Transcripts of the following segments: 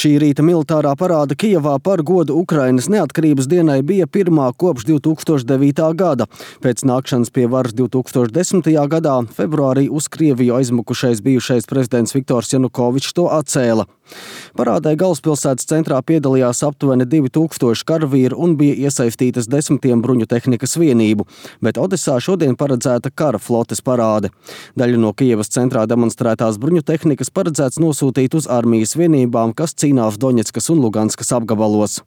Šī rīta militārā parāde Kijevā par godu Ukrainas neatkarības dienai bija pirmā kopš 2009. gada. Pēc nākšanas pie varas 2010. gadā februārī uz Krieviju aizmukušais bijušais prezidents Viktors Janukovičs to atcēla. Parādē galvaspilsētas centrā piedalījās aptuveni 2000 karavīru un bija iesaistītas desmitiem bruņu tehnikas vienību, bet Odesā šodien paredzēta kara flotes parāde. Daļu no Kijevas centrā demonstrētās bruņu tehnikas paredzēts nosūtīt uz armijas vienībām, kas cīnās Doņetskas un Luganskas apgabalos.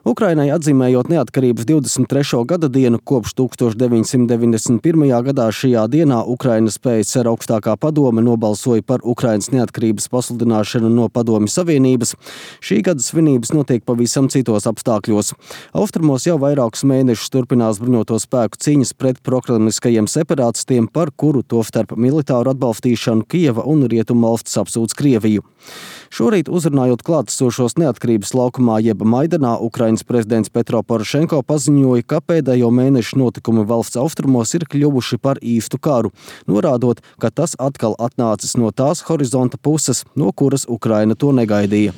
Ukrainai atzīmējot neatkarības 23. gada dienu kopš 1991. gadā šajā dienā Ukrainas PSR augstākā padome nobalsoja par Ukrainas neatkarības pasludināšanu no Padomju Savienības. Šī gada svinības notiek pavisam citos apstākļos. Austrumos jau vairākus mēnešus turpinās bruņoto spēku cīņas pret prokremliskajiem separatistiem, par kuru tostarp militāru atbalstīšanu Kijeva un Rietumvalstis apsūdz Krieviju. Šorīt uzrunājot klātesošos neatkarības laukumā jeb Maidanā, Ukrainas prezidents Petro Porošenko paziņoja, ka pēdējo mēnešu notikumi valsts austrumos ir kļuvuši par īstu karu, norādot, ka tas atkal atnācis no tās horizonta puses, no kuras Ukraina to negaidīja.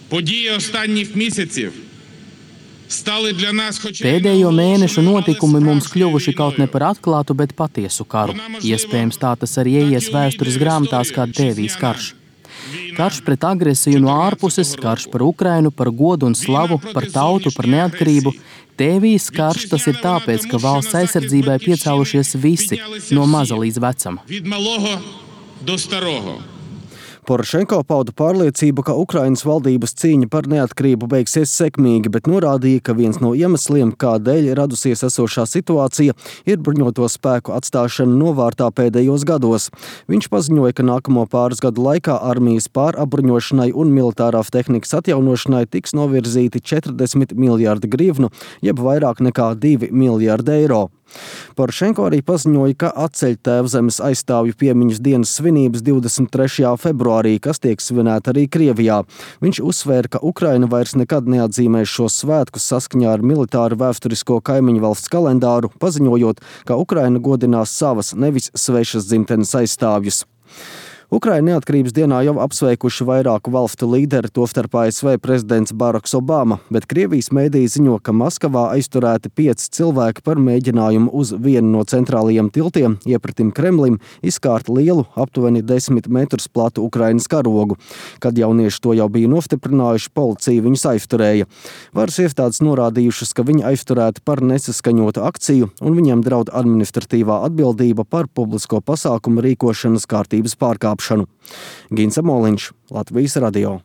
Pēdējo mēnešu notikumi mums kļuvuši kaut ne par atklātu, bet patiesu karu. Iespējams, tā tas arī ieies vēstures grāmatās kā Tēvijas karš. Karš pret agresiju no ārpuses, karš par Ukrainu, par godu un slavu, par tautu, par neatkarību. Tēvijas karš tas ir tāpēc, ka valsts aizsardzībai piecēlušies visi, no maza līdz vecam. Porošenko pauda pārliecību, ka Ukrainas valdības cīņa par neatkarību beigsies sekmīgi, bet norādīja, ka viens no iemesliem, kādēļ radusies esošā situācija, ir bruņoto spēku atstāšana novārtā pēdējos gados. Viņš paziņoja, ka nākamo pāris gadu laikā armijas pārapbruņošanai un militārās tehnikas atjaunošanai tiks novirzīti 40 miljārdi grivnu, jeb vairāk nekā 2 miljārdi eiro. Porošenko arī paziņoja, ka atceļ Tēvzemes aizstāvju piemiņas dienas svinības 23. februārī, kas tiek svinēta arī Krievijā. Viņš uzsvēra, ka Ukraina vairs nekad neatzīmēs šos svētkus saskaņā ar militāru vēsturisko kaimiņu valsts kalendāru, paziņojot, ka Ukraina godinās savas, nevis svešas dzimtenes aizstāvjus. Ukraina neatkarības dienā jau apsveikuši vairāku valstu līderi, tostarp ASV prezidents Baraks Obama, bet Krievijas mēdīji ziņo, ka Maskavā aizturēti 5 cilvēki par mēģinājumu uz vienu no centrālajiem tiltiem iepratim Kremlim izkārt lielu, aptuveni 10 metrus platu Ukrainas karogu. Kad jaunieši to jau bija nostiprinājuši, policija viņus aizturēja. Varas iestādes norādījušas, ka viņi aizturēti par nesaskaņotu akciju un viņiem draud administratīvā atbildība par publisko pasākumu rīkošanas kārtības pārkāpšanu. Gins Amoliņš, Latvijas radio.